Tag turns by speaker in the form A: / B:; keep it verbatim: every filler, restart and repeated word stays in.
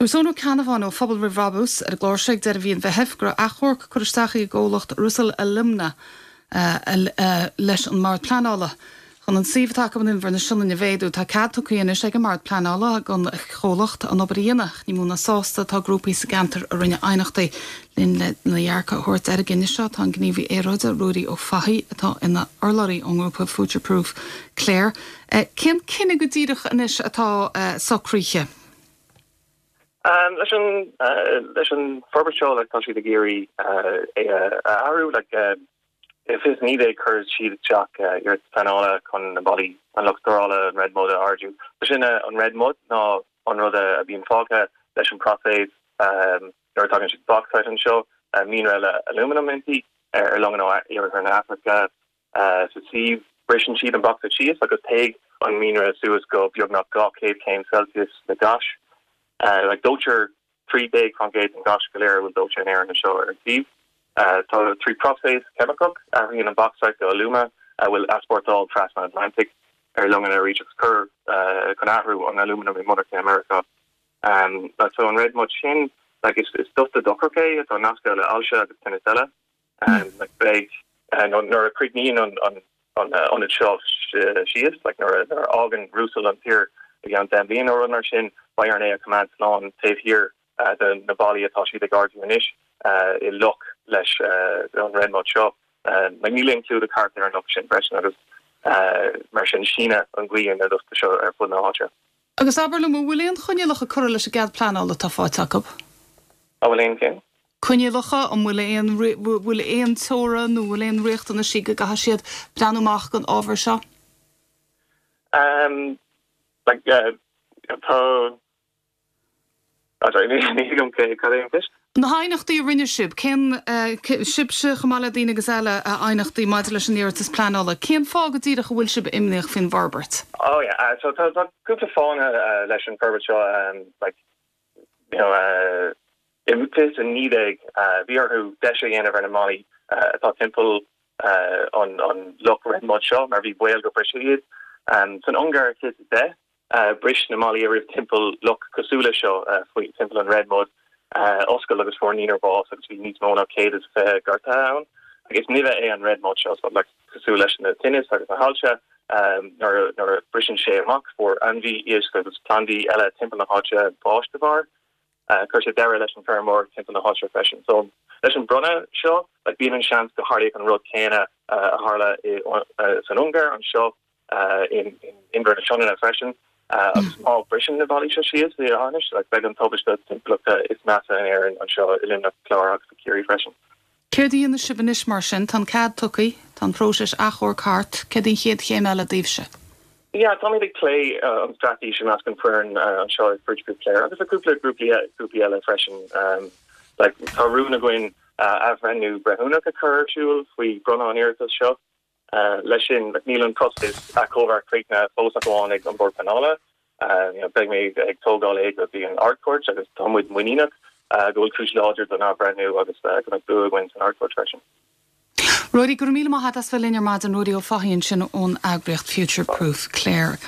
A: Dúirt Eoin Ó Ceannabháin ó Phobal Roimh Bhrabús ar an gclár seo ag deireadh mhí an Mheithimh go raibh achomharc curtha isteach ag an gcomhlacht Rusal Alumina leis an mBord Pleanála. Chun an suíomh atá acu in Inbhear na Sionainne a mhéadú, tá cead tugtha anois ag an mBord Pleanála don chomhlacht an obair a dhéanamh. Ní mó ná sásta atá grúpaí sa gceantar a rinne aighneachtaí. Linn lena dhearcadh a thabhairt ar an gcinneadh seo tá an gníomhaí aeráide Ruairí Ó Fathaigh atá ina urlabhraí ón ngrúpa Future Proof Clare. Cén cinneadh go díreach anois atá socraithe?
B: Um, leis an uh, leis an forbairt seo like, tá siad ag iarraidh uh, é a athrú like, uh, fiche naoi déag chuir siad isteach iarratas pleanála chun na ballaí an loch stórála an red mud a ardú. Sin an red mud ná an rud a bhíonn fágtha leis an próiseas um, nuair tagann siad bauxite anseo uh, mianra le aluminum inti ar longanna ó iarthar na hAfraice uh, sa suíomh briseann siad an bauxite síos agus téann an mianra suas go beagnach dhá chéad céim Celsius le gas. Uh, like dóitear trí déag faoin gcéad den gas go léir bhfuil dóite in Éirinn seo ar an suíomh. Uh, tá trí próiseas ceimiceach athraíonn an bauxite go aluma a bhfuil easpórtáil trasna Atlantic ar longanna arís agus cur uh, chun athrú an aluminum i monarcha America. Um, so an red mud sin like, is, is dusta dochrach é atá nasctha le ailse agus tinnis eile. Um, like, beidh uh, nuair a chríochnaíonn an, an, an uh, ionad seo síos, like, nuair a fhágann Rusal an tír i gceann deich mbliana nó mar sin beidh orainn é a choimeád slán taobh thiar uh, de na ballaí atá siad ag ardú anois uh, i loch leis uh, an red mud seo. Uh, níl aon clúdach thart ar an loch sin freisin agus uh, mar sin síneann an ghaoth na dusta seo ar fud na háite.
A: Agus abair liom bhfuil aon choinníollacha curtha leis an gcead pleanála atá faighte acu?
B: A bhfuil aon cinn?
A: Coinníollacha an bhfuil aon bhfuil aon teorainn nó bhfuil aon riachtanaisí go gcaithfidh siad breathnú amach don ábhar seo?
B: Um, like, uh, tá ní
A: Na haighneachtaí a rinne sibh cén sibhse chomh maith le daoine agus eile a aighneachtaí maidir leis an iarratas pleanála, Cén fáth go díreach a bhfuil sibh imníoch faoin bhforbairt?
B: Oh yeah, uh, so tá cúpla fáthanna uh, leis an forbairt seo um, like, you know, uh, i fiche a naoi déag uh, bhí orthu deis a dhéanamh ar na mballaí uh, atá timpeall uh, an, an loch red mud seo mar bhí baol go mbrisfeadh iad. Um, san Ungáir fiche deich uh, bris na mballaí a raibh timpeall loch cosúil leis seo uh, faoi timpeall an red mud uh, oscail agus fuair naonúr bás agus bhí níos mó ná céad is fiche gortaithe ann. Agus nimh é an red mud seo so, like, cosúil leis na tinnis agus na hailse um, nuair nuair a briseann sé amach fuair ainmhí éisc agus plandaí eile timpeall na háite bás de bharr. Uh, chuir sé deireadh leis an feirmeoireacht timpeall na háite freisin. So leis an bronnadh seo like, bíonn an seans go dtarlóidh an rud céanna uh, a tharla uh, san Ungáir anseo uh, in, in Inbhear na Sionainne freisin. Uh, agus má briseann na ballaí seo síos i Ánis, like, beidh an tubaiste timpeallachta is measa in Éirinn anseo i Luimneach Clár agus Ciarraí freisin.
A: Céard a dhéanfaidh sibh anois mar sin tá cead tugtha tá an próiseas achomhairc thart céard an chéad chéim eile daoibhse.
B: Ja, tá ag plé uh, an straitéis i measc an foireann uh, anseo ag Future Proof Clare agus a cúpla grúpaí grúpaí eile freisin um, like, tá rún againn uh, athbhreithniú breithiúnach a chur ar siúl faoi bronnadh an iarratas seo. Uh, leis sin like, níl an próiseas achomhairc críochnaithe fós ach amháin ag an Bord Pleanála. Uh, you know, beidh mé ag tógáil é go dtí an Ard-Chúirt agus tá muid muiníneach uh, go bhfuil cúis láidir don athbhreithniú agus uh, go mbeidh bua againn san Ard-Chúirt freisin.
A: Ruairí go raibh míle maith agat as bheith linn ar maidin Ruairí Ó Fathaigh ansin ón eagraíocht Future Proof Clare.